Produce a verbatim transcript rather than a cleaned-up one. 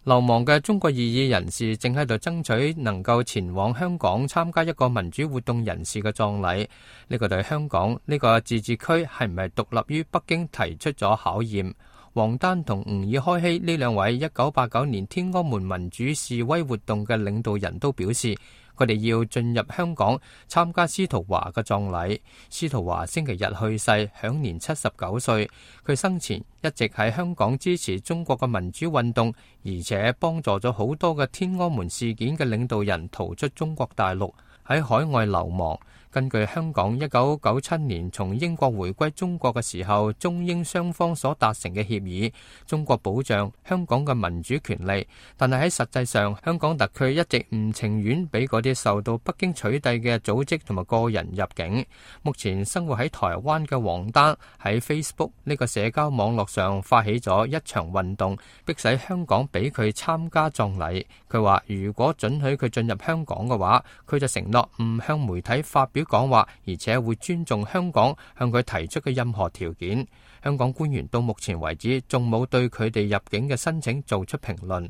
流亡嘅中國異議人士正喺度爭取能夠前往香港參加一個民主活動人士嘅葬禮。呢個對香港呢個自治區係唔係獨立於北京提出咗考驗。王丹同吾爾開希呢兩位一九八九年天安門民主示威活動嘅領導人都表示，佢哋要進入香港參加司徒華嘅葬禮。司徒華星期日去世，享年七十九歲。佢生前一直喺香港支持中國嘅民主運動，而且幫助咗好多嘅天安門事件嘅領導人逃出中國大陸，喺海外流亡。根據香港一九九七年從英國回歸中國嘅時候，中英雙方所達成嘅協議，中國保障香港嘅民主權利，但係喺實際上，香港特區一直唔情願俾嗰啲受到北京取締嘅組織同埋個人入境。目前生活喺台灣嘅王丹喺 Facebook 呢個社交網絡上發起咗一場運動，迫使香港俾佢參加葬禮。佢話如果准許佢進入香港嘅話，佢就承諾唔向媒體發表講話，而且會尊重香港向佢提出嘅任何條件。香港官員到目前為止仲冇對佢哋入境嘅申請做出評論。